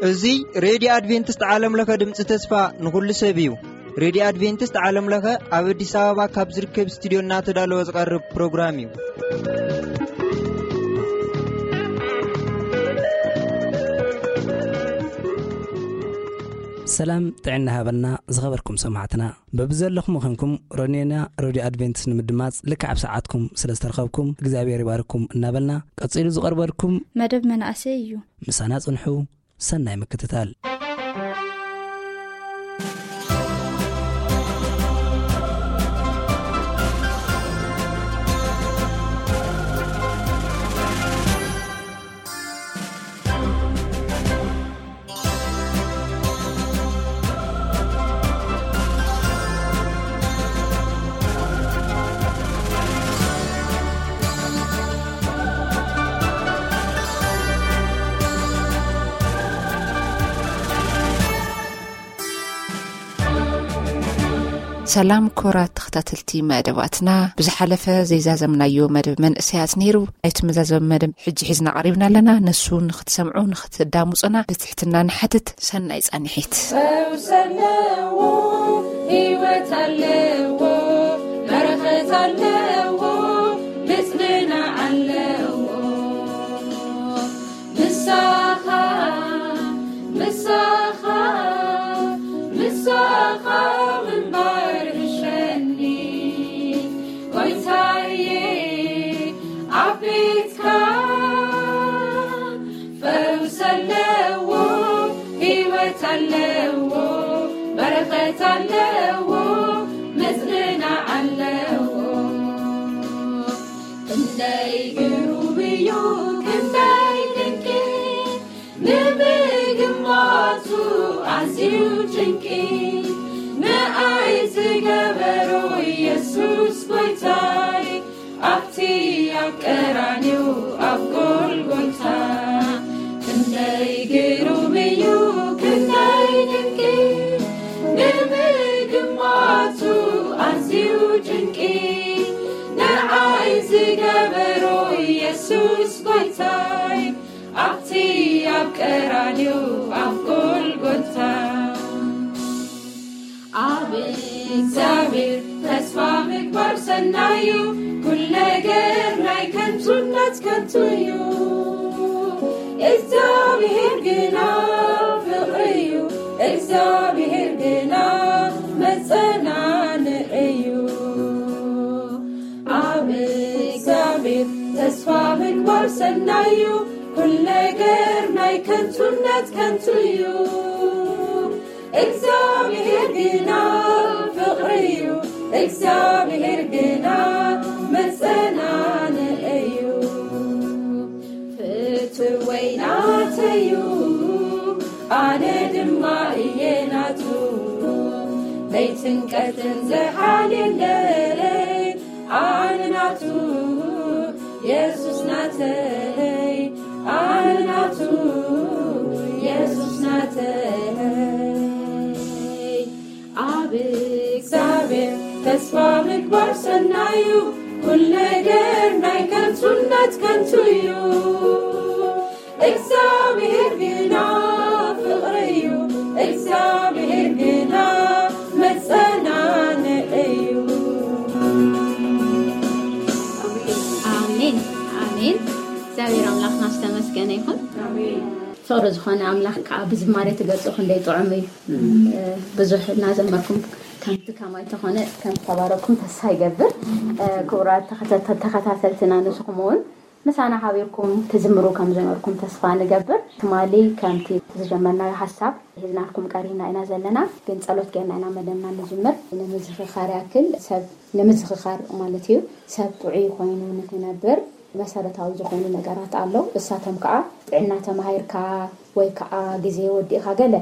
እዚ ሬድዮ ኣድቬንቲስት ዓለም ለኸ ድምፂ ተስፋ ንኹሉ ሰብ እዩ። ሬድዮ ኣድቬንቲስት ዓለም ለኸ ኣብ ኣዲስ ኣበባ ካብ ዝርከብ ስቱዲዮ እናተዳለወ ዝቐርብ ፕሮግራም እዩ። ሰላም ጥዕና ሃበልና ዝኸበርኩም ሰማዕትና። በብዘለኹም ኾንኩም ሮኔና ሬድዮ ኣድቬንቲስት ንምድማጽ ልክዕ ኣብ ሰዓትኩም ስለ ዝተረኸብኩም እግዚኣብሔር ይባርኩም እናበልና፣ ቀጺሉ ዝቐርበልኩም መደብ መናእሰይ እዩ። ምሳና ጽንሑ። ሰናይ ምክትታል። ሰላም ክቡራት ተኸታተልቲ መደባትና፣ ብዝሓለፈ ዘይዛዘምናዮ መደብ መንእሰያት ነይሩ። ናይቲ መዛዘሚ መደብ ሕጂ ሒዝና ቀሪብና ኣለና። ነሱ ንኽትሰምዑ፣ ንኽትዳምጹና ብትሕትና ንሓትት። ሰናይ ጻንሒት። ፈውስ ኣለዎ፣ ህይወት ኣለዎ፣ በረኸት ኣለዎ፣ ምጽንናዕ ኣለዎ። ምሳኻ፣ ምሳኻ፣ ምሳኻ ምንባር እሸኒ፣ ጎይታዬ፣ ኣብ ቤትካ ፈውስ ኣለዎ፣ ህይወት ኣለዎ፣ በረኸት ኣለዎ፣ ምጽንናዕ ኣለዎ። ክንደይ ግሩም እዩ፣ ክንደይ ድንቂ፣ ንምግማቱ ኣዝዩ ጭንቂ፣ ንኣይ ዝገበሮ ኢየሱስ ጎይታይ፣ ኣብቲ ኣብ ቀራንዮ ኣብ ጎልጎታ። ክንደይ ግሩም እዩ፣ ክንደይ ድንቂ፣ ንምግማቱ ኣዝዩ ጭንቂ፣ ንዓይ ዝገበሮ ኢየሱስ ጎይታይ፣ ኣብቲ ኣብ ቀራንዮ ኣብ ጎልጎታ። ኣብ እግዚኣብሔር ተስፋ ምግባር ሰናዩ፣ ኩሉ ነገር ናይ ከንቱነት ከንቱ እዩ። እግዚኣብሔር ግና ፍቕሪ እዩ፣ እግዚኣብሔር ግና መጸናንዒ እዩ። ኣብ እግዚኣብሔር ተስፋ ምግባር ሰናዩ፣ ኩሉ ነገር ናይ ከንቱነት ከንቱ እዩ። እግዚኣብሔር ግና ፍቕሪ እዩ፣ እግዚኣብሔር ግና መጸናንዒ እዩ። ፍትወይ ናተዩ፣ ኣነ ድማ እየ ናቱ፣ ለይትን ቀትርን ዝሓል የለይ። ኣነ ናቱ የሱስ ናተይ፣ ኣነ ናቱ የሱስ ናተይ። ኣብ እግዚኣብሔር ተስፋ ምግባር ሰናዩ፣ ኩሉ ነገር ናይ ከንቱነት ከንቱ እዩ። እግዚኣብሔር ግና ፍቕሪ እዩ፣ እግዚኣብሔር ግና መጸናንዒ እዩ። ኣሜን፣ ኣሜን። እግዚኣብሔር ኣምላኽና ዝተመስገነ ይኹን። ፍቕሪ ዝኾነ ኣምላኽ ከዓ ብዝማሬ ትገልጾ ክንደይ ጥዑም እዩ። ብዙሕ እናዘመርኩም ከምቲ ከማይ ተኾነ ከም ተባረኩም ተስፋ ይገብር። ክቡራት ተኸታተ-፣ ተኸታተልትና ንስኹም እውን ምሳና ሓቢርኩም ትዝምሩ ከም ዝነበርኩም ተስፋ ንገብር። ትማሊ ከምቲ ዝጀመርናዮ ሓሳብ ሒዝናልኩም ቀሪብና ኢና ዘለና፣ ግን ጸሎት ጌርና ኢና መደብና ንጅምር። ንምዝኽኻር ያክል ሰብ ንምዝኽኻር ማለት እዩ። ሰብ ጥዑይ ኮይኑ ንክነብር መሰረታዊ ዝኾኑ ነገራት ኣለዉ። እሳቶም ከዓ ጥዕና ተማሂርካ ወይ ከዓ ግዜ ወዲእካ ገለ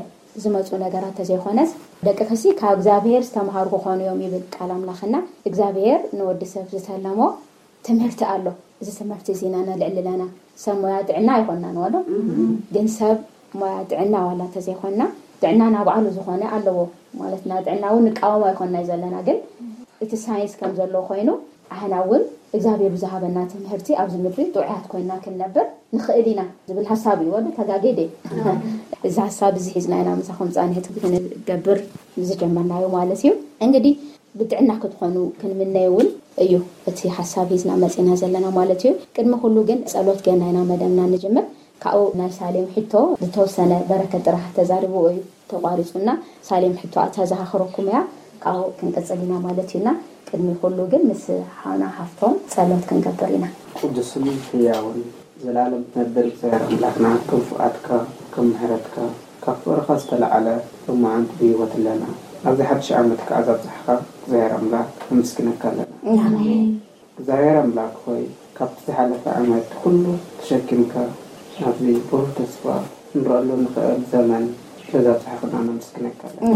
ዝመፁ ነገራት ተዘይኮነስ ደቂ ከሲ ካብ እግዚኣብሔር ዝተምሃሩ ክኾኑ እዮም ይብል ቃል ኣምላኽና። እግዚኣብሔር ንወዲ ሰብ ዝተለሞ ትምህርቲ ኣሎ። እዚ ትምህርቲ እዚ ኢና ነልዕል ኣለና። ሰብ ሞያ ጥዕና ኣይኮንናን ዋሎ፣ ግን ሰብ ሞያ ጥዕና ዋላ እንተዘይኮንና ጥዕና ናባዕሉ ዝኾነ ኣለዎ ማለት ና ጥዕና እውን ንቃወሞ ኣይኮንና ዘለና፣ ግን እቲ ሳይንስ ከም ዘሎ ኮይኑ ኣህና እውን እግዚኣብሔር ብዝሃበና ትምህርቲ ኣብዚ ምድሪ ጥዑያት ኮይና ክንነብር ንኽእል ኢና ዝብል ሓሳብ እዩ። ወደ ተጋጌደ እዚ ሓሳብ እዚ ሒዝና ኢና ምሳኹም ፃንሕቲ ክንገብር ዝጀመርናዮ ማለት እዩ። እንግዲህ ብጥዕና ክትኾኑ ክንምነይ እውን እዩ እቲ ሓሳብ ሒዝና መፂና ዘለና ማለት እዩ። ቅድሚ ኩሉ ግን ጸሎት ገና ኢና መደብና ንጅምር። ካብኡ ናይ ሳሌም ሕቶ ዝተወሰነ በረከት ጥራሕ ተዛሪብዎ እዩ ተቋሪፁና። ሳሌም ሕቶ ኣተዘኻኽረኩም እያ። ካብኡ ክንቅፅል ኢና ማለት እዩና። ቅድሚ ኩሉ ግን ምስ ሓውና ሃፍቶም ጸሎት ክንገብር ኢና። ቅዱስን ሕያውን ዘላለም ትነብር እግዚኣብሔር ኣምላኽና፣ ከም ፍቓድካ፣ ከም ምሕረትካ፣ ካብ ፍቕርኻ ዝተለዓለ ሎማዓንቲ ብህይወት ኣለና። ኣብዚ ሓድሽ ዓመት ከኣ ዛብጻሕኻ እግዚኣብሔር ኣምላኽ ነመስግነካ ኣለና። እግዚኣብሔር ኣምላኽ ሆይ፣ ካብቲ ዝሓለፈ ዓመት ኩሉ ተሸኪምካ ናብዚ ብሩህ ተስፋ ክንረኣሉ ንኽእል ዘመን ስለዛብጻሕኽና ነመስግነካ ኣለና።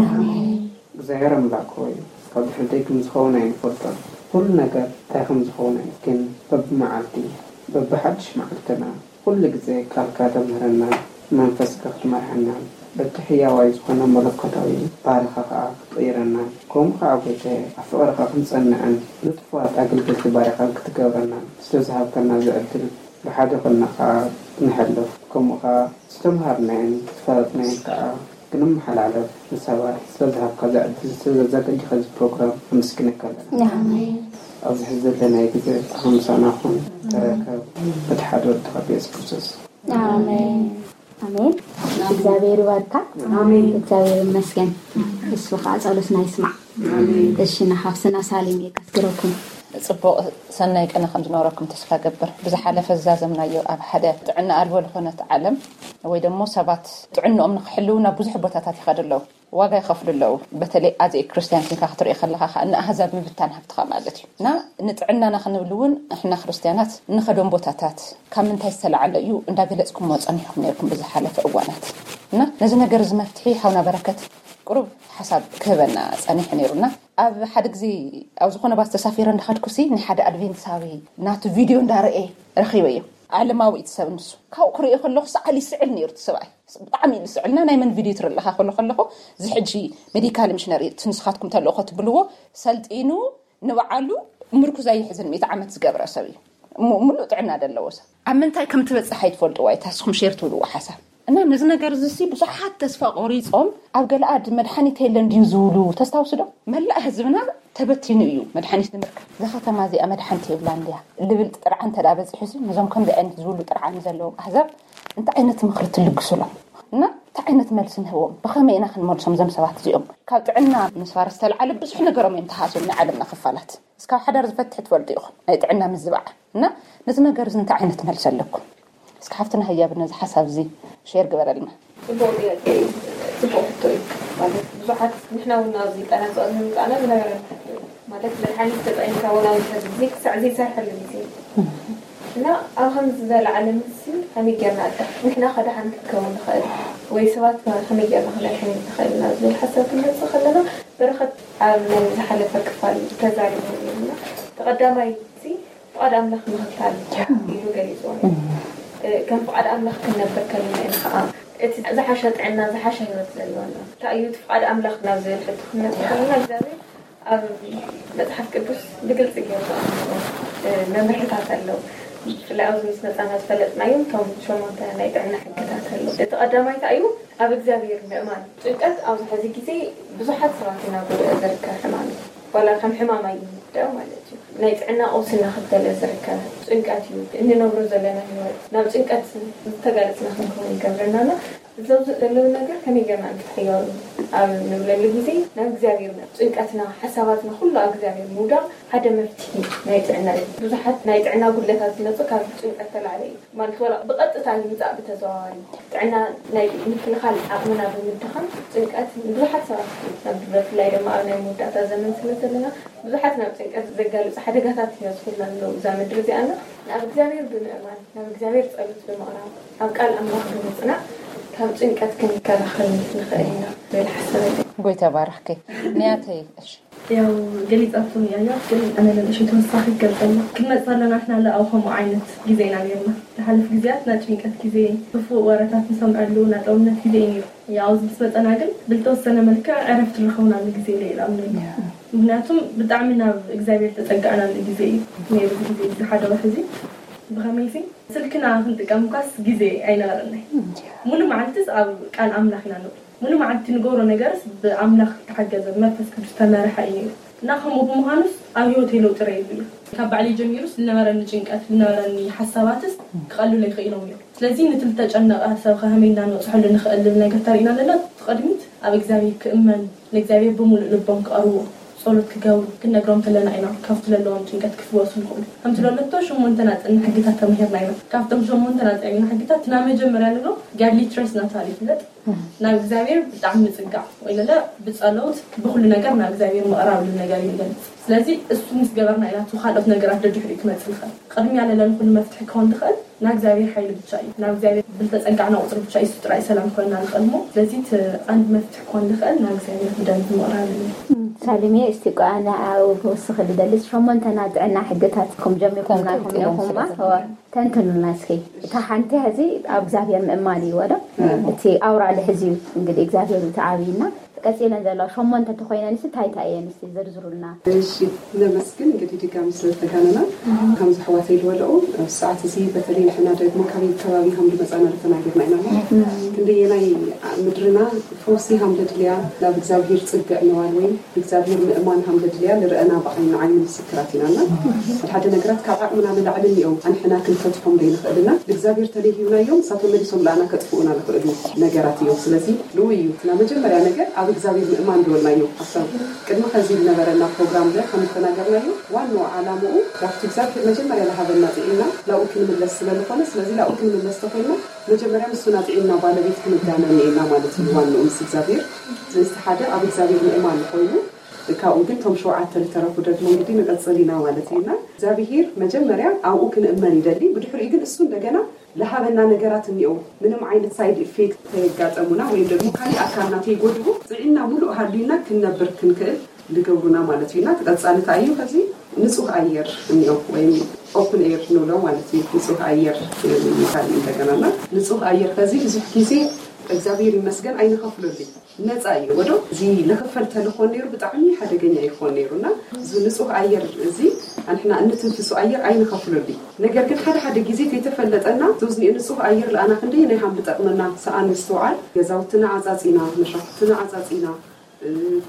እግዚኣብሔር ኣምላኽ ሆይ፣ ካብ ድሕሪ ደጊም ዝኸውን ኣይንፈልጦን። ኩሉ ነገር እንታይ ከም ዝኸውን ግን በብመዓልቲ በብሓድሽ መዓልትና ኩሉ ግዜ ቃልካ ተምህረና፣ መንፈስካ ክትመርሐና፣ በቲ ሕያዋይ ዝኾነ መለኮታዊ ባህርኻ ከኣ ክትቕይረና፣ ከምኡ ከኣ ጎይታየ ኣብ ፍቕርኻ ክንጸንዕን ንጥፉኣት ኣገልገልቲ ባሪኻን ክትገብረና ስለዝሃብካና እዚ ዕድል ብሓደ ኮንና ከኣ ንሕለፍ፣ ከምኡ ከኣ ዝተምሃርናዮን ዝፈለጥናዮን ከኣ ክንመሓላለፍ ንሰባት ስለዝሃብካ እዚ ዕድል ስለዘዘጋጀኻ እዚ ፕሮግራም ነመስግነካ ኣለና። ኣብዚ ሕዚ ዘለናዮ ግዜ ብሓምሳና ኩን ተረከብ በቲ ሓደ ወድኻ ብየሱስ ክርስቶስ። ኣሜን። ኣሜን። እግዚኣብሔር ይባርካ። ኣሜን። እግዚኣብሔር ይመስገን። እሱ ከዓ ጸሎትና ይስማዕ። ኣሜን። እሺ፣ ንሓፍስና ሳሌም የቀስግረኩም። ጽቡቕ ሰናይ ቅነ ከም ዝነበረኩም ተስፋ ገብር። ብዝሓለፈ ዝዛዘምናዮ ኣብ ሓደ ጥዕና ኣልቦ ዝኾነት ዓለም ወይ ደሞ ሰባት ጥዕንኦም ንክሕልው ናብ ብዙሕ ቦታታት ይኸዱ ኣለዉ። ዋጋ ይኸፍሉ ኣለዉ። በተለይ ኣዘይ ክርስትያን ኮንካ ክትሪኦ ከለኻ ከዓ ንኣህዛብ ምብታን ሃብትኻ ማለት እዩ። እና ንጥዕናና ክንብል እውን ንሕና ክርስትያናት እንኸዶም ቦታታት ካብ ምንታይ ዝተለዓለ እዩ እንዳገለጽኩምዎ ጸኒሕኩም ነርኩም ብዝሓለፈ እዋናት። እና ነዚ ነገር እዚ መፍትሒ ሓውና በረከት ቁሩብ ሓሳብ ክህበና ጸኒሑ ነይሩና። ኣብ ሓደ ግዜ ኣብ ዝኾነ ባስ ተሳፊረ እንዳኸድኩሲ ናይ ሓደ ኣድቬንቲሳዊ ናቱ ቪድዮ እንዳረኤ ረኺበዮ። ዓለማዊ እቲ ሰብ ንሱ። ካብኡ ክሪኦ ከለኹ ሰዓል ይስዕል ነይሩ እቲ ሰብኣይ። ብጣዕሚ እዩ ዝስዕልና። ናይ መን ቪድዮ ትርኢ ኣለኻ ክብሎ ከለኹ፣ እዚ ሕጂ ሜዲካል ሚሽነሪ እቲ ንስኻትኩም ተልእኾ ትብልዎ ሰልጢኑ ንባዕሉ ምርኩዝ ኣይሕዝን፣ ሚእቲ ዓመት ዝገበረ ሰብ እዩ። ሙ-፣ ሙሉእ ጥዕና ዘለዎ ሰብ። ኣብ ምንታይ ከም ትበጽሕ ኣይትፈልጥዋ፣ እታ ንስኹም ሼር ትብልዎ ሓሳብ። እና ነዚ ነገር እዚ ሲ ብዙሓት ተስፋ ቆሪጾም ኣብ ገለኣድ መድሓኒት የለን ድዩ ዝብሉ ተስታውሱ ዶ? መላእ ህዝብና ተበቲኑ እዩ መድሓኒት ንምርካብ። እዛ ከተማ እዚኣ መድሓኒት የብላን ድያ? ልብል ጥርዓን እንተ ደኣ በጺሑ ሲ ነዞም ከምዚ ዓይነት ዝብሉ ጥርዓን ዘለዎም ኣህዛብ እንታይ ዓይነት ምኽሪ ትልግሱሎም? እና እንታይ ዓይነት መልሲ ንህቦም? ብኸመይ ኢና ክንመልሶም እዞም ሰባት እዚኦም? ካብ ጥዕና ምስፋር ዝተለዓለ ብዙሕ ነገሮም እዮም ተሃስዮም ናይ ዓለምና ክፋላት። እስካብ ሓዳር ዝፈትሕ ትፈልጡ ኢኹም ናይ ጥዕና ምዝባዕ። እና ነዚ ነገር እዚ እንታይ ዓይነት መልሲ ኣለኩም? እስኪ ሓፍትና ህያብ ነዚ ሓሳብ እዚ ሼር ግበረልና። ጽቡቕ ጥያቄ እዩ። ጽቡቕ ሕቶ እዩ። ማለት ብዙሓት ንሕና እውን ኣብዚ ጠና ጸቕሚ ምጻና ዝነበረ ማለት መድሓኒት ተጠቒምካ እውን ኣብዚ ሕዚ ግዜ ክሳዕ ዘይሰርሐሉ ግዜ እዩ። እና ኣብ ከምዚ ዝበለ ዓለም እዚ ከመይ ጌርና ኣዳ ንሕና ከደሓን ክትከውን ንኽእል ወይ ሰባት ከመይ ጌርና ክነድሕን ንኽእል ኢና ዝብል ሓሳብ ክንመጽእ ከለና በረኸት ኣብ ናይ ዝሓለፈ ክፋል ተዛሪቡ ነይሩና። ተቐዳማይ እዚ ፍቓድ ኣምላኽ ምኽታል ኢሉ ገሊጽዎ ነይሩ። እ፣ ከም ፍቓድ ኣምላኽ ክንነብር ከለና ኢና ኸዓ እቲ ዝሓሸ ጥዕና፣ ዝሓሸ ህይወት ዘለዎና። እንታይ እዩ እቲ ፍቓድ ኣምላኽ ናብ ዝብል ሕቶ ክንመጽእ ከለና እግዚኣብሔር ኣብ መጽሓፍ ቅዱስ ብግልጺ ገይሩ ዘቐመጦ፣ እ፣ መምርሕታት ኣለዉ። ብፍላይ ኣብዚ ምስ መጻና ዝፈለጥናዮም እቶም ሸሞንተ ናይ ጥዕና ሕግታት ኣለዉ። እቲ ቀዳማይ እንታይ እዩ? ኣብ እግዚኣብሔር ምእማን። ጭንቀት ኣብዚ ሕዚ ግዜ ብዙሓት ሰባት እናጎድኦ ዝርከብ ሕማም እዩ። ዋላ ከም ሕማም ኣይንውደኦ ማለት እዩ። ናይ ጥዕና ቀውሲ እናኸተለ ዝርከብ ጭንቀት እዩ። እንነብሮ ዘለና ህይወት ናብ ጭንቀት ዝተጋለጽና ክንከውን ይገብረናና። እዞም ዘለዉ ነገር ከመይ ጌርና እንክትሕየሩ ኣብ ንብለሉ ግዜ ናብ እግዚኣብሔር ናብ ጭንቀትና፣ ሓሳባትና ኩሉ ኣብ እግዚኣብሔር ምውዳቕ ሓደ መፍትሒ ናይ ጥዕና እዩ። ብዙሓት ናይ ጥዕና ጉድለታት ዝመጹ ካብ ጭንቀት ተላዕለ እዩ። ማለት ዋላ ብቐጥታ ይምጻእ ብተዘዋዋሪ ጥዕና ናይ ምክልኻል ዓቕምና ብምድኻም ጭንቀት ንብዙሓት ሰባት እዩ። ናብ ብፍላይ ድማ ኣብ ናይ መወዳእታ ዘመን ስለ ዘለና ብዙሓት ናብ ጭንቀት ዘጋልጹ ሓደጋታት ይበዝሑልና ኣለዉ እዛ ምድሪ እዚኣና። ናብ እግዚኣብሔር ብምእማን፣ ናብ እግዚኣብሔር ጸሎት ብምቕራብ፣ ኣብ ቃል ኣምላኽ ብምጽናዕ ካብ ጭንቀት ክንከላኸል ንኽእል ኢና ዝብል ሓሳብ ኣለኒ። ጎይታ ባርኽኪ ንያተይ። እሺ። ያው ገሊጻቶ እያ፣ ያው ግን ኣነ ንእሽቶ ተወሳኺ ክገልጸሉ ክንመጽእ ኣለና። ንሕና ለኣው ከምኡ ዓይነት ግዜ ኢና ነርና። ዝሓለፉ ግዜያት ናይ ጭንቀት ግዜ፣ ክፉእ ወረታት ንሰምዐሉ ናይ ጠውነት ግዜ እዩ ነይሩ። ያው ኣብዚ ምስ መጸና ግን ብልተወሰነ መልክዕ ዕረፍቲ ንረኽበሉ ግዜ ኢለ እየ ዝኣምነሉ። ምክንያቱም ብጣዕሚ ናብ እግዚኣብሔር ተጸጋዕናሉ ግዜ እዩ ነይሩ። እዚ ግዜ እዚ ሓደ ወርሒ እዚ ብኸመይሲ ስልክና ክንጥቀም እኳስ ግዜ ኣይነበረናይ። ሙሉ መዓልትስ ኣብ ቃል ኣምላኽ ኢና ንውዕል። ሙሉ መዓልቲ ንገብሮ ነገርስ ብኣምላኽ ተሓገዘ፣ ብመንፈስ ቅዱስ ተመርሐ እዩ ነይሩ። እና ከምኡ ብምዃኑስ ኣብ ህይወተይ ለውጢ ረኢሉ እዩ። ካብ ባዕለይ ጀሚሩስ ዝነበረኒ ጭንቀት፣ ዝነበረኒ ሓሳባትስ ክቐልሉ ይኽእሎም እዮም። ስለዚ ንትልተ ጨነቐ ሰብ ከመይ እንዳንበፅሐሉ ንኽእል ዝብል ነገር ተርእና ዘለና። እቲ ቅድሚት ኣብ እግዚኣብሔር ክእመን፣ ንእግዚኣብሔር ብምሉእ ልቦም ክቐርቡ፣ ጸሎት ክገብሩ ክንነግሮም ከለና ኢና ካብቲ ዘለዎም ጭንቀት ክፍወሱ ንኽእሉ። ከምቲ ለለቶ ሸሞንተ ናጽን ሕግታት ተማሂርና ኢና። ካብቶም ሸሞንተ ናጽን ሕግታት እቲ ናይ መጀመርያ ንብሎ ጋድሊ ትረስት እናተባህለ ይፍለጥ። ናብ እግዚኣብሔር ብጣዕሚ ምጽጋዕ ወይ ለለ ብጸሎት ብኹሉ ነገር ናብ እግዚኣብሔር ምቕራብ ዝብል ነገር እዩ ዝገልጽ። ስለዚ እሱ ምስ ገበርና ኢና እቲ ካልኦት ነገራት ደድሕሪኡ ክመጽእ ዝኽእል። ቅድሚያ ለለ ንኹሉ መፍትሒ ክኸውን ዝኽእል ናብ እግዚኣብሔር ሓይሊ ብቻ እዩ። ናብ እግዚኣብሔር ብልተጸጋዕና ቁጽሪ ብቻ እዩ እሱ ጥራይ ሰላም ክኾንና ዝኽእል እሞ፣ ስለዚ እቲ ቀንዲ መፍትሒ ክኾን ዝኽእል ናብ እግዚኣብሔር ብደንቢ ምቕራብ እዩ። ሳሊሜ፣ እስቲ ቋ ንዓኡ ክውስኽ ዝደሊ ሸሞንተና ጥዕና ሕግታት ከም ጀሚርኩምና ከም ኢኹማ ተንትኑልና እስኪ። እታ ሓንቲ ሕዚ ኣብ እግዚኣብሔር ምእማን እዩ ወዶ እቲ ኣውራ ልሕዚ እዩ እንግዲህ እግዚኣብሔር እዩ ተዓብይና። ቀጺለን ዘለዋ ሸሞንተ ተኾይነን እስቲ እንታይ እንታይ እየን እስቲ ዝርዝሩልና። እሺ፣ ነመስግን እንግዲህ ድጋሚ ስለተጋነና። ከምዚ ኣሕዋተይ ዝበለኦ፣ ኣብዚ ሰዓት እዚ በተለይ ንሕና ደግሞ ካበይ ከባቢ ከም ዝመጻና ተናጊርና ኢና። ክንደየናይ ምድርና ፈውሲ ከም ዘድልያ ናብ እግዚኣብሔር ጽግዕ ምባል ወይም እግዚኣብሔር ምእማን ከም ዘድልያ ንርእና ብዓይኒ ዓይኒ ምስክራት ኢና። እና ሓደ ሓደ ነገራት ካብ ዓቕምና ንላዕሊ እኒኦም ኣንሕና ክንፈትሖም ዘይንኽእል እና እግዚኣብሔር ተለይሂብናዮም ንሳቶም መሊሶም ለኣና ከጥፍኡና ዝኽእሉ ነገራት እዮም። ስለዚ ልኡ እዩ። እና መጀመርያ ነገር ኣብ እግዚኣብሔር ምእማን ዝበልናዮ ኣብታ ቅድሚ ከዚ ዝነበረና ፕሮግራም ለ ከም ዝተናገርናዮ ዋናው ዓላምኡ ካብቲ እግዚኣብሔር መጀመርያ ዝሃበና ጥዒና ላኡ ክንምለስ ስለ ዝኾነ፣ ስለዚ ላኡ ክንምለስ ተኮይና መጀመርያ ምስና ጥዒና ባለቤት ክንጋነ እኒኤና ማለት እዩ። ዋንኡ ምስ እግዚኣብሔር ስለዚ ሓደ ኣብ እግዚኣብሔር ምእማን ኮይኑ ካብኡ ግን ቶም ሸውዓተ ዝተረፉ ደግሞ እንግዲህ ንቐጽል ኢና ማለት እዩ። እና እግዚኣብሔር መጀመርያ ኣብኡ ክንእመን ይደሊ፣ ብድሕሪኡ ግን እሱ እንደገና ዝሃበና ነገራት እኒኦ ምንም ዓይነት ሳይድ ኢፌክት ከየጋጠሙና ወይም ደግሞ ካሊእ ኣካልና ከይጎድኡ ጥዒና ሙሉእ ሃልዩና ክንነብር ክንክእል ዝገብሩና ማለት እዩ። እና ተቐጻሊ እንታይ እዩ? ከዚ ንጹህ ኣየር እኒኦ ወይም ኦፕን ኤር ንብሎ ማለት እዩ። ንጹህ ኣየር ይባል እንደገና። እና ንጹህ ኣየር ከዚ ብዙሕ ግዜ እግዚኣብሔር ይመስገን ኣይንኸፍለሉይ፣ ነጻ እዩ ወዶ። እዚ ልኽፈል ተልኾን ነይሩ ብጣዕሚ ሓደገኛ ይኾን ነይሩ። እና እዚ ንጹህ ኣየር እዚ ኣንሕና እንትንፍሶ ኣየር ኣይንኸፍለሉይ። ነገር ግን ሓደ ሓደ ግዜ ከይተፈለጠና እዚ ንጹህ ኣየር ለኣና ክንደይ ናይ ሃም ዝጠቕመና ሰኣን ምስትውዓል። ገዛውትና ዓጻጺና፣ መሻፍትና ዓጻጺና፣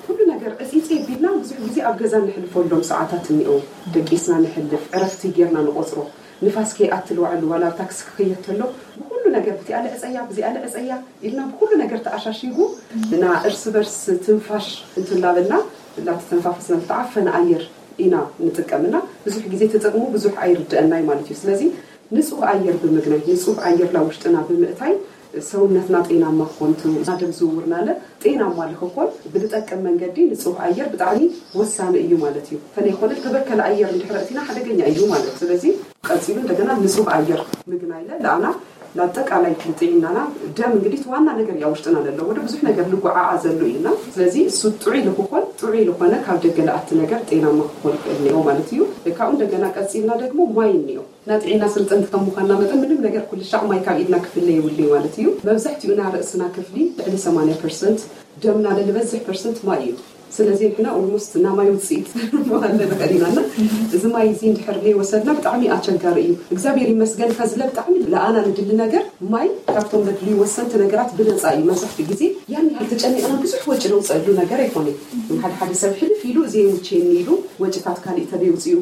ኩሉ ነገር ዕጽይጽይ ቢልና ብዙሕ ግዜ ኣብ ገዛ ንሕልፈሎም ሰዓታት እኒኦ። ደቂስና ንሕልፍ፣ ዕረፍቲ ጌርና ንቆጽሮ። ንፋስ ከይኣትል ዋዕሉ ዋላ ኣብ ታክሲ ክኸየድ ተሎ ብኩሉ ነገር ብዚኣ ልዕጸያ ብዚኣ ልዕጸያ ኢልና ብኩሉ ነገር ተኣሻሺጉ እና እርስ በርስ ትንፋሽ እንትላበልና ላተተንፋፈስና ዝተዓፈነ ኣየር ኢና ንጥቀምና። ብዙሕ ግዜ ተጠቅሙ ብዙሕ ኣይርድአናይ ማለት እዩ። ስለዚ ንጹህ ኣየር ብምግናይ፣ ንጹህ ኣየር ናብ ውሽጥና ብምእታይ ሰውነትና ጤናማ ክኾን፣ እቲ ደም ዝውውርና ለ ጤናማ ልክኾን ብልጠቅም መንገዲ ንጹህ ኣየር ብጣዕሚ ወሳኒ እዩ ማለት እዩ። ተለይኮነ ተበከለ ኣየር እንድሕር እቲና ሓደገኛ እዩ ማለት። ስለዚ ቀጺሉ እንደገና ንጹህ ኣየር ምግናይ ለ ለኣና ንኣጠቃላይ ጥዕናና ደም እንግዲህ ዋና ነገር እያ ውሽጥና ለለ ወደ ብዙሕ ነገር ልጉዓዓ ዘሎ እዩና። ስለዚ እሱ ጥዑይ ልክኾን ጥዑይ ልኾነ ካብ ደገ ለኣቲ ነገር ጤናማ ክኾን ይኽእል እኒኦ ማለት እዩ። ካብኡ እንደገና ቀጺልና ደግሞ ማይ እኒኦ። ናይ ጥዕና ስልጠንቲ ከም ምዃንና መጠን ምንም ነገር ኩሉ ሻዕ ማይ ካብ ኢድና ክፍለ የብሉይ ማለት እዩ። መብዛሕትኡ ናይ ርእስና ክፍሊ ልዕሊ ሰማንያ ፐርሰንት ደምና ልበዝሕ ፐርሰንት ማይ እዩ። ስለዚ ንሕና ኦልሞስት ናይ ማይ ውፅኢት ምዃን ንኽእል ኢና። እና እዚ ማይ እዚ እንድሕር ዘይወሰድና ብጣዕሚ ኣቸጋሪ እዩ። እግዚኣብሔር ይመስገን ከዝለ ብጣዕሚ ለኣና ንድሊ ነገር ማይ ካብቶም ነድልዩ ወሰንቲ ነገራት ብነፃ እዩ። መብዛሕትኡ ግዜ ያን ያህል ተጨኒቕና ብዙሕ ወጪ ነውፀሉ ነገር ኣይኮነን። ሓደ ሓደ ሰብ ሕልፍ ኢሉ ዘይምችየኒ ኢሉ ወጪታት ካሊእ ተደይ ውፅኡ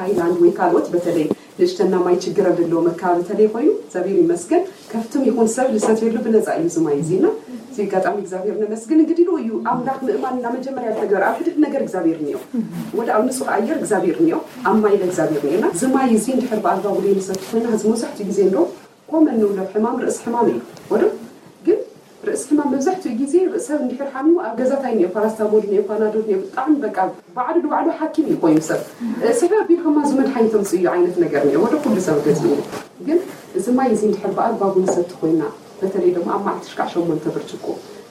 ሃይላንድ ወይ ካልኦት በተለይ ንእሽተና ማይ ችግር ኣብ ዘለዎ መካባቢ ተለይ ኮይኑ እግዚኣብሔር ይመስገን ከፍትም ይኹን ሰብ ልሰትየሉ ብነፃ እዩ ዝማይ እዚና እዚ ኣጋጣሚ እግዚኣብሔር ነመስግን። እንግዲህ ሉ እዩ ኣምላኽ ምእማን እና መጀመርያ ተግበር ኣብ ሕድሕድ ነገር እግዚኣብሔር እኒኦ ወደ ኣብ ንፁህ ኣየር እግዚኣብሔር እኒኦ ኣብ ማይ ለእግዚኣብሔር እኒኦና ዝማይ እዚ እንድሕር ብኣግባቡ ለይንሰቲ ኮይና እዚ መብዛሕትኡ ግዜ እንዶ ኮመን ንብሎ ሕማም ርእሲ ሕማም እዩ ወደ ግን ርእሲ ሕማም መብዛሕትኡ ግዜ ሰብ እንድሕር ሓሚሙ ኣብ ገዛ ታይ እኒኦ ፓራስታሞል እኒኦ ፓናዶል እኒኦ ብጣዕሚ በቃ ባዕሉ ንባዕሉ ሓኪም እዩ ኮይኑ ሰብ ስሕር ቢልኩማ እዚ መድሓኒት ተምፅኡ እዩ ዓይነት ነገር እኒኦ ወደ ኩሉ ሰብ ገዚኡ ግን እዚ ማይ እዚ እንድሕር ብኣግባቡ ንሰቲ ኮይና በተለይ ደግሞ ኣብ መዓልቲ ሽካዕ ሸሞንተ ብርጭቆ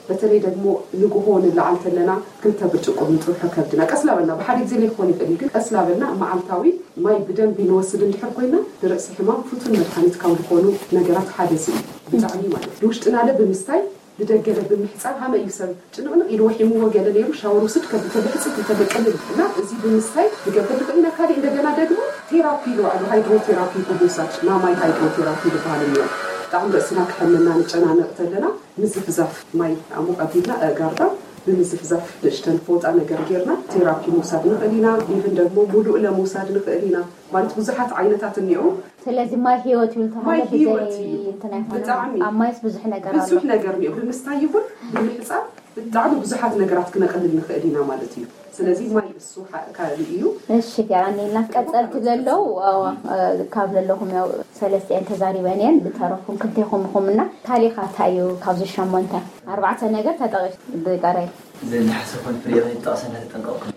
በተለይ ደግሞ ንግሆ ንለዓል ተለና ክልተ ብርጭቆ ንጥብሖ ከብድና ቀስ ላበልና ብሓደ ግዜ ለይኮን ይኽእል እዩ ግን ቀስ ላበልና መዓልታዊ ማይ ብደንቢ ንወስድ እንድሕር ኮይና ንርእሲ ሕማም ፍቱን መድሓኒት ካብ ዝኾኑ ነገራት ሓደ እዚ እዩ። ብጣዕሚ ማለት ንውሽጥና ለ ብምስታይ ብደገለ ብምሕፃብ ሃመ እዩ ሰብ ጭንቕንቕ ኢሉ ወሒምዎ ገለ ነይሩ ሻወር ውስድ ከብቶ ብሕፅት እንተደቀልል እና እዚ ብምስታይ ንገብር ንኽእል ኢና። ካልእ እንደገና ደግሞ ቴራፒ ኢሉ ኣሎ ሃይድሮቴራፒ ብምውሳድ ናማይ ሃይድሮቴራፒ ዝበሃል እኒኦ። ብጣዕሚ ርእስና ክሐመና ንጨናነቕ ተለና ምዝፍዛፍ ማይ ኣሙቕ ኣቢልና ኣእጋርና ብምዝፍዛፍ ንእሽተን ፎጣ ነገር ጌርና ቴራፒ ምውሳድ ንኽእል ኢና። ኢቭን ደግሞ ሙሉእ ለምውሳድ ንኽእል ኢና። ማለት ብዙሓት ዓይነታት እኒኦ። ስለዚ ማይ ህይወት ይብል ማይ ተባለ ህይወት ብዘይ እዩ። እንትን ኣይኮነን። ብጣዕሚ ኣብ ማይስ ብዙሕ ነገር ኣሎ። ብዙሕ ነገር እኒኦ። ብምስታይ ይኹን ብምሕፃብ ብጣዕሚ ብዙሓት ነገራት ክነቕልል ንኽእል ኢና ማለት እዩ። ስለዚ ማይ እሱ ሓደ ካልእ እዩ። እሺ ገራኒ ኢልና ቀፀልቲ ዘለዉ ኣዋ፣ እ፣ ካብ ዘለኹም ያው ሰለስቲአን ተዛሪበን እየን። ብተረፉም ክልቴኹም ኢኹም እና ታሊኻ እንታይ እዩ ካብዚ ሸሞንተ ኣርባዕተ ነገር ተጠቒሱ ብጠረይ ዝናሕሰ ኮን ፍሬ ከይጠቕሰና ተጠንቀቕኩም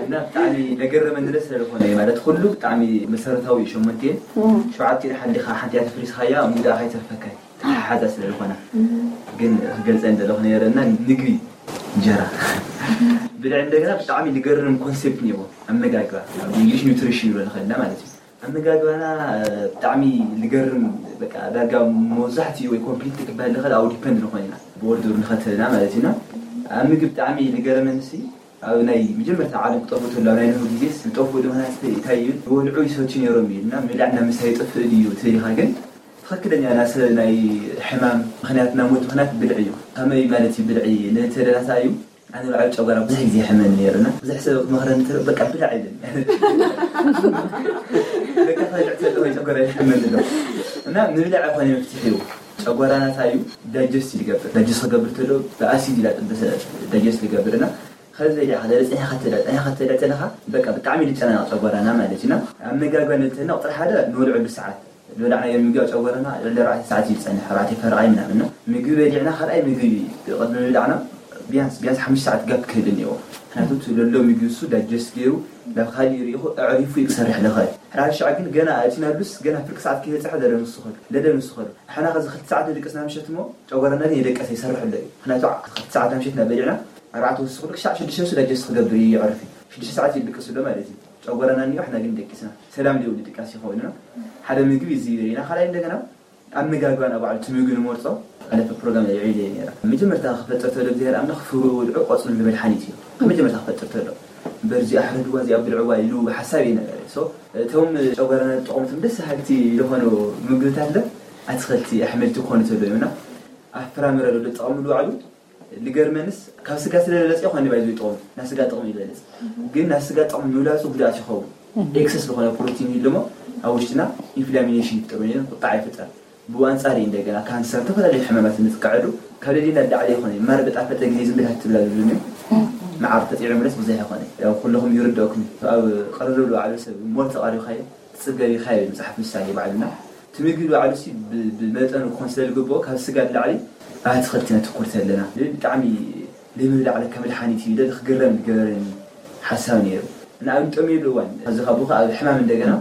እና ብጣዕሚ ነገረመኒ ደስ ስለዝኾነ እዩ። ማለት ኩሉ ብጣዕሚ መሰረታዊ ሸሞንቴን ሸውዓተ ሓሊኻ ሓንቲ እያ ተፍሪስኻያ ሙዳ ከይተርፈካ ተሓሓዛ ስለዝኾነ ግን ክገልፀ እንደለኹ ነረና ምግቢ እንጀራ ብልዕ እንደገና ብጣዕሚ ዝገርም ኮንሴፕት እኒዎ ኣመጋግባ እንግሊሽ ኒውትሪሽን ይብሎ ንኽእልና ማለት እዩ ኣመጋግባና ብጣዕሚ ዝገርም በቃ ዳርጋ መብዛሕትኡ ወይ ኮምፕሊት ክበሃል ዝኽእል ኣብ ዲፐንድ ንኾን ኢና ብኦርደር ንኸተልና ማለት ኢና ኣብ ምግቢ ብጣዕሚ ዝገረመንሲ ኣብ ናይ መጀመርታ ዓለም ክጠፍኡ ተሎ ኣብ ናይ ንሁ ግዜ ዝጠፍኡ ድምናት እንታይ እዩ ዝበልዑ ይሰትዩ ነይሮም እዩ እና ምብላዕ እና ምስታይ ይጠፍእ ድዩ ትብል ኢኻ ግን ትኽክለኛ ናሰ ናይ ሕማም ምኽንያት ናይ ሞት ምኽንያት ብልዒ እዩ ከመይ ማለት እዩ ብልዒ ንተደላታ እዩ ኣነ ባዕሉ ጨጓራ ብዙሕ ግዜ ይሕመኒ ነይሩ እና ብዙሕ ሰብ ክመኽረኒ ተሎ በቃ ብላዕ ይብል በቃ ከልዕ ተሎ ወይ ጨጓራ ይሕመኒ ኣሎ እና ምብላዕ ኣይኮነ መፍትሒ እዩ ጨጓራና እንታይ እዩ ዳጀስት ይገብር ዳጀስት ክገብር ተሎ ብኣሲድ ኢላ ጥበሰ ዳጀስት ይገብር እና ከዚ ኢላ ከለለ ፀኒኻ ተዳ ፀኒኻ ተዳ ተለኻ በቃ ብጣዕሚ ዝጨናነቕ ጨጓራና ማለት እዩ እና ኣብ መጋግባ ንልተና ቁፅሪ ሓደ ንወልዐሉ ሰዓት ዝበላዕናዮ ምግቢ ኣብ ጨጎራና ልዕሊ ኣርባዕተ ሰዓት እዩ ዝፀንሕ ኣርባዕተ ፈረቓይ ምናምን ነው ምግቢ በሊዕና ካልኣይ ምግቢ ቅድሚ ምብላዕና ቢያንስ ቢያንስ ሓሙሽተ ሰዓት ጋፕ ክህል እኒኦ ምክንያቱ እቲ ለሎ ምግቢ እሱ ዳጀስት ገይሩ ናብ ካሊእ ርኢኹ ኣዕሪፉ እዩ ክሰርሕ ልኽእል ሓደ ሓደ ሻዕ ግን ገና እቲ ናብሉስ ገና ፍርቂ ሰዓት ከይበፅሐ ለለ ንስኸሉ ለለ ንስኸሉ ንሕና ከዚ ክልተ ሰዓት ንድቅስ ናምሸት እሞ ጨጎራና ግን የደቀሰ ይሰርሕ ኣሎ እዩ ምክንያቱ ክልተ ሰዓት ናምሸት ናብ በሊዕና ኣርባዕተ ወስኽሉ ክሻዕ ሽዱሽተ ወሱ ዳጀስት ክገብር እዩ የዕርፍ እዩ ሽዱሽተ ሰዓት እዩ ድቅስ ኣሎ ማለት እዩ ጨጎራና እኒኦ ሕና ግን ደቂስና ሰላም ዘይብሉ ድቃስ ይኸውን ኢና ሓደ ምግቢ እዚ ይብል ኢና ካልኣይ እንደገና ኣመጋግባና ባዕሉ እቲ ምግቢ ንመርፆ ኣለፈ ፕሮግራም ልዒለ እየ ነረ መጀመርታ ክፈጥር ተሎ እግዚኣብሔር ኣምላኽ ፍሩ ወድዑ ቆፅሉ ንመድሓኒት እዩ ካብ መጀመርታ ክፈጥር ተሎ በርዚ ኣሕረድዋ እዚኣ ብልዕዋ ኢሉ ሓሳብ እየ ነበረ so እቶም ጨጓራና ዝጠቐሙቶም ደስ ሃልቲ ዝኾኑ ምግብታት ለ ኣትኽልቲ ኣሕምልቲ ክኾኑ ተሎ እዮም እና ኣብ ፍራምረ ዶ ጠቐምሉ ባዕሉ ልገርመንስ ካብ ስጋ ስለ ለለፅኦ ኮነ ባይዞ ይጠቕሙ ናብ ስጋ ጥቕሚ ይበልፅ ግን ናብ ስጋ ጥቕሚ ምብላፁ ጉድኣት ይኸውን ኤክሰስ ዝኾነ ፕሮቲን ይልሞ ኣብ ውሽጥና ኢንፍላሚኔሽን ይፍጠር ወይ ቁጣዕ ይፍጠር ብኡ ኣንፃር እዩ እንደገና ካንሰር ዝተፈላለዩ ሕማማት ንጥቃዐሉ ካብ ደሊና ላዕሊ ይኾነ ማር በጣፈጠ ግዜ ዝም ብላ ትብላ ዝብሉኒ መዓር ተፂዑ ምለስ ብዙሕ ይኾነ ያው ኩለኹም ይርደእኩም ኣብ ቅርርብ ዝወዓሉ ሰብ ሞር ተቓሪብካዮ ትፅገብ ኢኻ ይብል መፅሓፍ ምሳሌ ባዕልና እቲ ምግቢ ባዕሉ ሲ ብመጠኑ ክኾን ስለ ዝግብኦ ካብ ስጋ ንላዕሊ ኣብ ኣትኽልቲ ነትኩር ተለና ብጣዕሚ ዘይምብላዕ ለካ መድሓኒት እዩ ኢለ ክግረም ዝገበረኒ ሓሳብ ነይሩ ንኣብነት ጠምየሉ እዋን ኣብዚ ካብ ካብ ሕማም እንደገና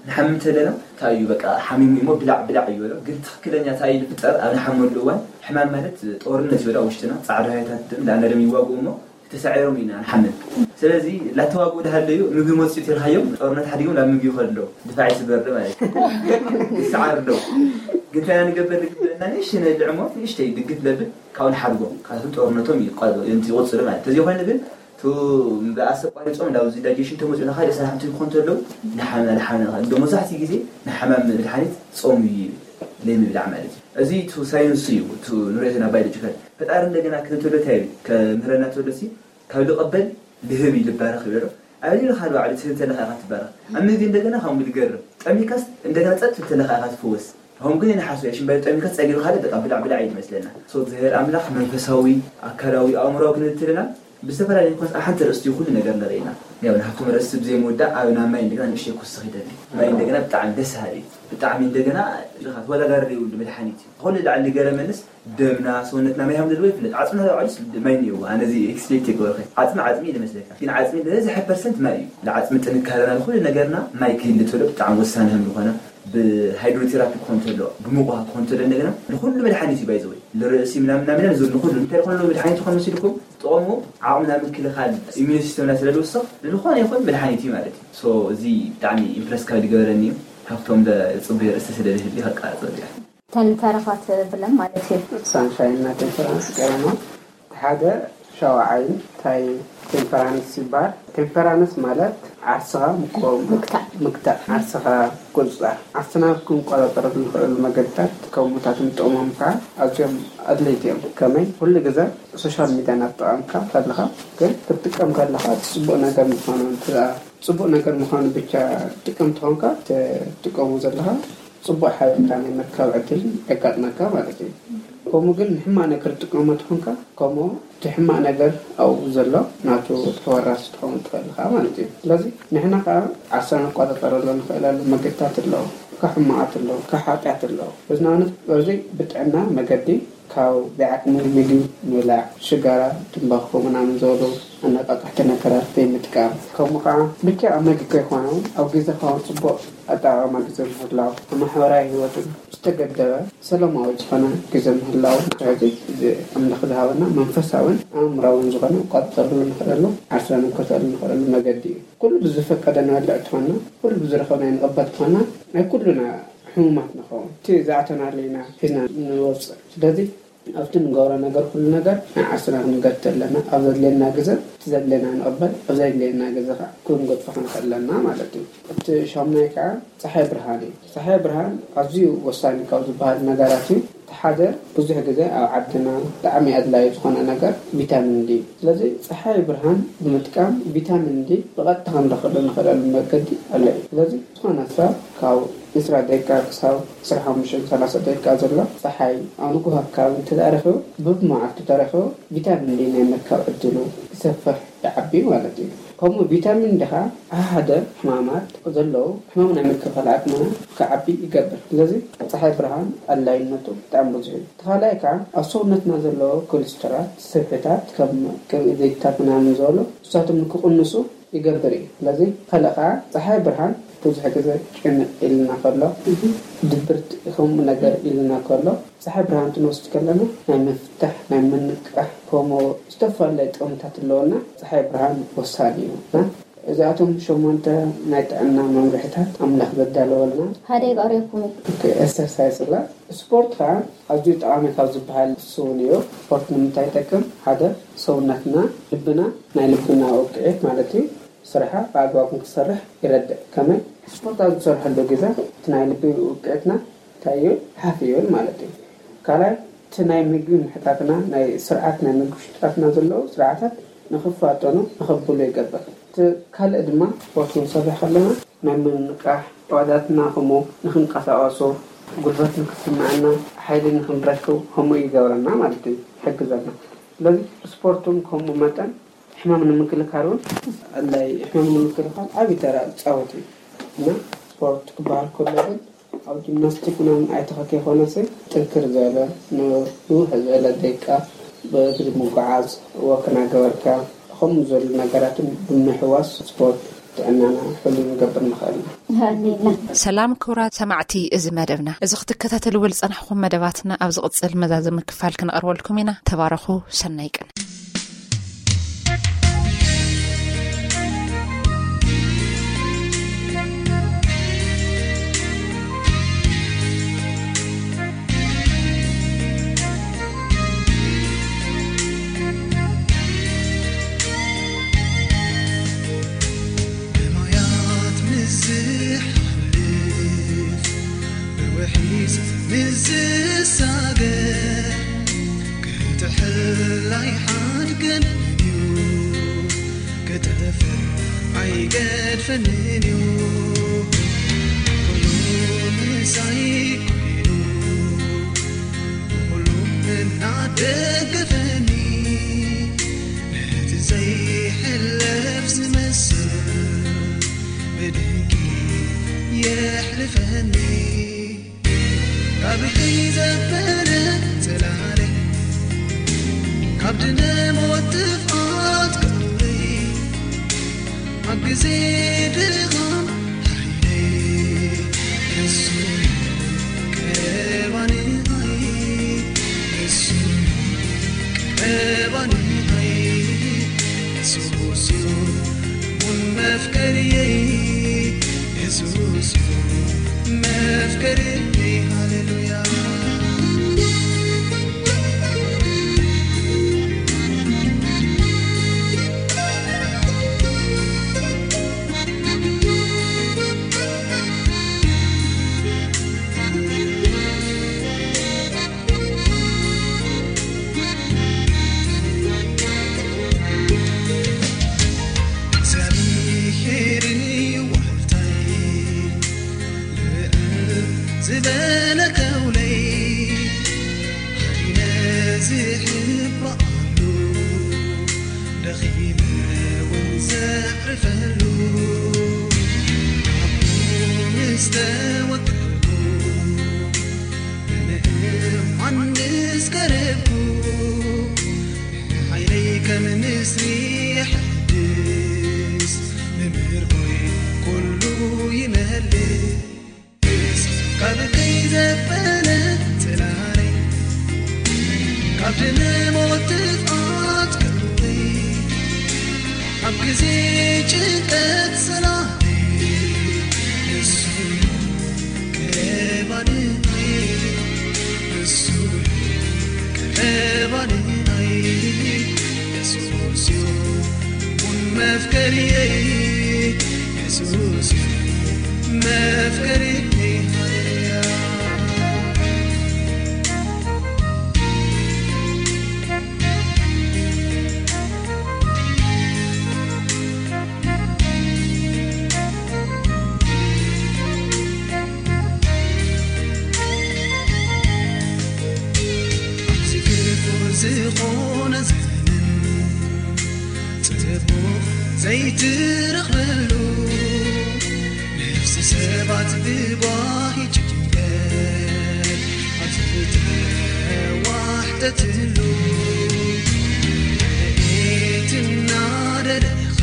ንሓምም ተለና እንታይ እዩ በቃ ሓሚሙ እሞ ብላዕ ብላዕ እዩ በሎ ግን ትኽክለኛ እንታይ እዩ ዝፍጠር ኣብ ንሓመሉ እዋን ሕማም ማለት ጦርነት ይበላ ውሽጥና ፃዕዳ ሃይታት ደም ዳና ደም ይዋግኡ እሞ ተሳዒሮም ኢና ንሓምም ስለዚ ላተዋግኡ ድሃለዩ ምግቢ መፅኡ ተልሃዮም ጦርነት ሓዲጎም ናብ ምግቢ ይኸዱ ኣለዉ ድፋዕ ይስበር ማለት ይሰዓር ኣለዉ ግን እንታይ ንገበር ዝግበአና ንእሽተይ ነልዕሞ ንእሽተይ ድግፍ ለብል ካብኡ ንሓድጎም ካብቶም ጦርነቶም ይቆ- ይቕፅሉ ማለት ተዘይኮይኑ ግን ቱ ብኣሰቋሪፆም ናብ እዚ ዳይጀሽን ተመፅኡ ንካሊእ ስራሕ እንትን ክኾን ተለዉ ንሓመ ንሓመ ንካ እንደ መብዛሕትኡ ግዜ ንሓማም መድሓኒት ፆም እዩ ዘይምብላዕ ማለት እዩ እዚ ቱ ሳይንስ እዩ ቱ ንሪኦ ዘለና ባዮሎጂካል ፈጣሪ እንደገና ክህብ ተሎ እንታይ ይብል ከምህረና ተሎ ሲ ካብ ልቐበል ልህብ እዩ ልባረኽ ይበሎ ኣብ ሌላ ካልእ ባዕሉ ትህብ ተለካ ኢኻ ትባረኽ ኣብ ምግቢ እንደገና ከምኡ ልገርም ጠሚካስ እንደገና ፀጥ ትብል ተለካ ኢኻ ትፍወስ ሆም ግን ንሓስብ ሽምባይ ጠሚካ ጸጊሩ ካልእ በቃ ብላዕ ብላዕ እዩ ዝመስለና። ሶ እግዚኣብሔር ኣምላኽ መንፈሳዊ፣ ኣካላዊ፣ ኣእምሮዊ ክንብል እንተለና ብዝተፈላለየ ኮንስ ኣብ ሓንቲ ርእስቲ ኩሉ ነገር ንርኢ ኢና። ያው ንሃብቶም ርእስቲ ብዘይ ምውዳእ ኣብ ናብ ማይ እንደገና ንእሽተይ ክውስኽ ይደሊ። ማይ እንደገና ብጣዕሚ ደስ በሃሊ እዩ። ብጣዕሚ እንደገና ኢኻ ተወዳዳሪ ዘይብሉ መድሓኒት እዩ። ኩሉ ላዕሊ ገረመንስ ደምና ሰውነትና ማይ ከም ዘለዎ ይፍለጥ። ዓጽምና ዶ ዓሊስ ማይ እኒአዎ። ኣነ እዚ ኤክስፔክት ኣይገበርኩን። ዓጽሚ ዓጽሚ እዩ ዝመስለካ። ግን ዓጽሚ ዝበዝሐ ፐርሰንት ማይ እዩ። ንዓጽሚ ጥንካረና ንኹሉ ነገርና ማይ ክህሊ ተሎ ብጣዕሚ ወሳኒ ከም ዝኾነ ብሃይድሮቴራፒ ክኾን ተሎ፣ ብሙቕ ውሃ ክኾን ተሎ፣ እንደገና ንኹሉ መድሓኒት እዩ ባይዘወይ። ንርእሲ ምናምን ምናምን ዝብል ንኹሉ እንታይ ዝኾነ መድሓኒት ዝኾነ መሲልኩም ጥቕሙ ዓቕምና ምክልኻል ኢሚዩን ሲስተምና ስለ ዝውስኽ ንዝኾነ ይኹን መድሓኒት እዩ ማለት እዩ። ሶ እዚ ብጣዕሚ ኢምፕረስ ካብ ዝገበረኒ እዩ። ካብቶም ዘፅበዮ ርእሲ ስለ ዝህሊ ከቃፅል እያ። ተረፋት ብለን ማለት እዩ። ሳንሻይን እና ቴምፐራንስ ቀሪና። ሓደ ሻውዓይን እንታይ ቴምፐራንስ ይበሃል? ቴምፐራንስ ማለት ዓርስኻ ምቆም፣ ምግታእ። ምግታእ፣ ዓርስኻ ቁፅፃር። ዓርስና ክንቆፃፀረሉ ንኽእለሉ መገድታት ከምኡታት ንጥቕሞም ከዓ ኣዝዮም ኣድለይቲ እዮም። ከመይ? ኩሉ ግዜ ሶሻል ሚድያ እናተጠቐምካ ከለኻ ግን ክትጥቀም ከለኻ እቲ ፅቡቕ ነገር ምዃኑ እንተ ፅቡቕ ነገር ምዃኑ ብቻ ትጥቀም ተኾንካ ትጥቀሙ ዘለኻ ፅቡቕ ሓበሬታ ናይ ምርካብ ዕድል የጋጥመካ ማለት እዩ። ከምኡ ግን ንሕማቕ ነገር ትጥቀሞ ተኾንካ ከምኡ እቲ ሕማቕ ነገር ኣብኡ ዘሎ ናቱ ተወራሲ ትኸውን ትኽእል ኢኻ ማለት እዩ። ስለዚ ንሕና ከዓ ዓሳ ንቆፃፀረሉ ንኽእለሉ መገድታት ኣለዉ። ካብ ሕማቓት ኣለዉ፣ ካብ ሓጢኣት ኣለዉ። በዚ ንኣብነት በዚ ብጥዕና መገዲ ካብ ዘይዓቅሚ ምግቢ ምብላዕ፣ ሽጋራ፣ ትምባኾ ምናምን ዝበሉ ኣነቃቃሕቲ ነገራት ዘይምጥቃም፣ ከምኡ ከዓ ብቻ ኣብ መግቢ ከይኮነ እውን ኣብ ግዜኻ እውን ፅቡቅ ኣጠቃቅማ ግዜ ምህላው፣ ኣብ ማሕበራዊ ህይወትን ዝተገደበ ሰላማዊ ዝኾነ ግዜ ምህላው። ስለዚ እዚ ኣምላኽ ዝሃበና መንፈሳውን ኣእምራውን ዝኾነ ንቆፃፀረሉ ንኽእለሉ ዓርስና ንከተሉ ንኽእለሉ መገዲ እዩ። ኩሉ ብዝፈቀደ ንበልዕ ትኾና፣ ኩሉ ብዝረኸብና ንቐበል ትኾና፣ ናይ ኩሉና ሕሙማት ንኸውን። እቲ ዝኣተናሉ ኢና ሒዝና ንወፅእ። ስለዚ ኣብቲ ንገብሮ ነገር ኩሉ ነገር ናይ ዓርስና ክንገድፍ ኣለና። ኣብ ዘድልየና ግዘ እቲ ዘድልየና ንቐበል፣ ኣብ ዘድልየና ግዘ ከዓ ክንገድፎ ክንኽእል ኣለና ማለት እዩ። እቲ ሻሙናይ ከዓ ፀሓይ ብርሃን እዩ። ፀሓይ ብርሃን ኣዝዩ ወሳኒ ካብ ዝበሃል ነገራት እዩ። እቲ ሓደ ብዙሕ ግዜ ኣብ ዓድና ብጣዕሚ ኣድላዩ ዝኾነ ነገር ቪታሚን ዲ እዩ። ስለዚ ፀሓይ ብርሃን ብምጥቃም ቪታሚን ዲ ብቐጥታ ክንረኽበሉ ንኽእለሉ መገዲ ኣሎ እዩ። ስለዚ ዝኾነ ሰብ ካብ ዕስራ ደቂቃ ክሳብ ዕስራን ሓሙሽተን ሰላሳን ደቂቃ ዘሎ ፀሓይ ኣብ ንጉሆ ኣካባቢ እንተደኣ ረኺቡ፣ ብመዓልቱ ተረኺቡ ቪታሚን ዲ ናይ ምርካብ ዕድሉ ይሰፍሕ፣ ይዓቢ ማለት እዩ። ከምኡ ቪታሚን ዲ ኸዓ ሓደ ሕማማት ዘለዉ ሕማም ናይ ምክልኻል ዓቕምና ክዓቢ ይገብር። ስለዚ ፀሓይ ብርሃን ኣድላይነቱ ብጣዕሚ ብዙሕ እዩ። እቲ ካልኣይ ከዓ ኣብ ሰውነትና ዘለዉ ኮሌስትራት፣ ስብሕታት ከም ቅብኢ ዘይትታት ምናምን ዝበሉ ንሳቶም ንክቕንሱ ይገብር እዩ። ስለዚ ካልእ ከዓ ፀሓይ ብርሃን ብዙሕ ግዜ ጭንቅ ኢልና ከሎ፣ ድብርት ከምኡ ነገር ኢልና ከሎ ፀሓይ ብርሃን ክንወስድ ከለና ናይ ምፍታሕ፣ ናይ ምንቃሕ ከምኡ ዝተፈላለየ ጥቕምታት ኣለወና። ፀሓይ ብርሃን ወሳኒ እዩ እና እዚኣቶም ሸሞንተ ናይ ጥዕና መምርሕታት ኣምላኽ ዘዳለወልና። ሓደ ይቀርየኩም እዩ። ኦኬ፣ ኤክሰርሳይዝ እላ ስፖርት ከዓ ኣዝዩ ጠቓሚ ካብ ዝበሃል እሱ እውን እዩ። ስፖርት ንምንታይ ይጠቅም? ሓደ ሰውነትና፣ ልብና፣ ናይ ልብና ውቅዒት ማለት እዩ፣ ስራሓ ብኣግባቡ ንክሰርሕ ይረድእ። ከመይ? ስፖርት ኣብ ዝሰርሐሉ ግዜ እቲ ናይ ልቢ ውቅዒትና እንታይ እዩ? ሓፍ ይብል ማለት እዩ። ካልኣይ እቲ ናይ ምግቢ ምሕታትና፣ ናይ ስርዓት ናይ ምግቢ ሽጣትና ዘለዉ ስርዓታት ንክፋጠኑ ንከብሉ ይገብር። እቲ ካልእ ድማ ስፖርት ክንሰርሕ ከለና ናይ ምንቃሕ፣ ኣዕዋዳትና ከምኡ ንክንቀሳቀሱ፣ ጉልበት ንክስምዐና፣ ሓይሊ ንክንረክብ ከምኡ ይገብረና ማለት እዩ፣ ይሕግዘና። ስለዚ ስፖርት እውን ከምኡ መጠን ሕማም ንምክልካል እውን ኣድላይ፣ ሕማም ንምክልካል ዓብዪ ተራ ዝፃወት እዩ እና ስፖርት ክበሃል ከሎ ግን ኣብ ጂምናስቲክ ምናምን ኣይተኸ ከይኮነሲ ጥንክር ዝበለ ንውሕ ዝበለ ደቂቃ ብእግሪ ምጉዓዝ፣ ወክ እናገበርካ ከምኡ ዝበሉ ነገራትን ብምሕዋስ ስፖርት ጥዕናና ሕሉው ንገብር ንኽእል ኢና። ሃሌና። ሰላም ክቡራት ሰማዕቲ እዚ መደብና። እዚ ክትከታተልዎ ዝጸናሕኩም መደባትና ኣብ ዝቕጽል መዛዘሚ ክፋል ክነቕርበልኩም ኢና። ተባረኹ። ሰናይ ቅነ። ብማያት ምስ ዝሓልፍ፣ ብውሒዝ ምስ ዝሳገር፣ ክጥሕል ኣይሓድገንን እዩ፣ ክጠፍእ ኣይገድፈንን እዩ። ኩሉ ምሳይ ኮይኑ፣ ብኹሉ እናደገፈኒ፣ ነቲ ዘይሕለፍ ዝመስል ብድንቂ የሕልፈኒ። ካብተይ ዘበለ ጽላለይ፣ ካብ ድነ ሞት ጥፍኣት ክብሪ፣ ኣብ ግዜ ድኻም ሓይለይ፣ ንሱ ቀባንኣይ፣ ንሱ ቀባንኣይ፣ የሱስ እዩ እውን መፍቀርየይ፣ የሱስ እዩ መፍቀርየይ። ሃሌሉያ። ዘዕርፈሉ ኣብኡ ምስ ተወከልኩ፣ መምህር ዮሃንስ ቀረብኩ። ሓይለይ ከም ንስሪ የሐድስ፣ መምህር ሆይ ኩሉ ይመልስ። ካብ ከይዘበነ ጽላለይ፣ ካብ ድነ ሞት ጥፍኣት ቀውረይ፣ ኣብ ግዜ ጭንቀት ሰላመይ፣ ንሱ ቀረብ ኣድናይ፣ ንሱ ቀረብ ኣድናይ፣ የሱስ እዩ ቡን መፍቀሪየይ፣ የሱስ እዩ መፍቀሪየይ። ሃሌሉያ። ኣብዚ ክፉእ ዝኾነ ዘመን፣ ጽቡቕ ዘይትረኽበሉ፣ ነፍሲ ሰባት ብጓሂ ጭንቀት ኣብ ዝተዋሕጠትሉ፣ ረድኤት እናደለኻ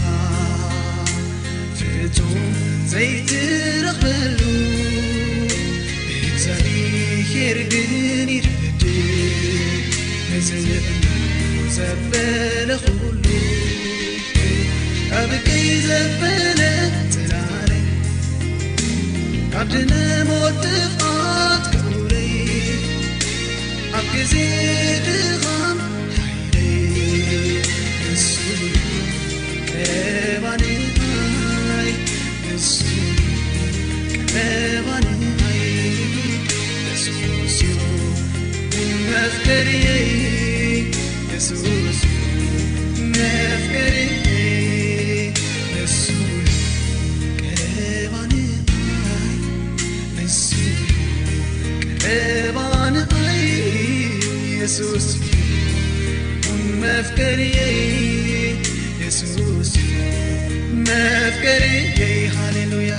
ፍጹም ዘይትረኽበሉ፣ እግዚኣብሔር ግን ይረድእ ነዚ እምኑ ዘበለ ኩሉ። ካብ ቀይ ዘበለ ጽላለ፣ ካብ ድነ ሞት ጥፍኣት ክብረይ፣ ኣብ ግዜ ድኻም ሓይለይ፣ ንሱ ቀረብ ኣድናይ፣ ንሱ ቀረብ ኣድናይ፣ የሱስ እዩ መፍቀሪየይ፣ የሱስ እዩ መፍቀሪየይ፣ ንሱ ቀረብ ኣድናይ፣ ንሱ ቀረብ ኣድናይ፣ የሱስ እዩ መፍቀሪየይ፣ የሱስ እዩ መፍቀሪየይ። ሃሌሉያ።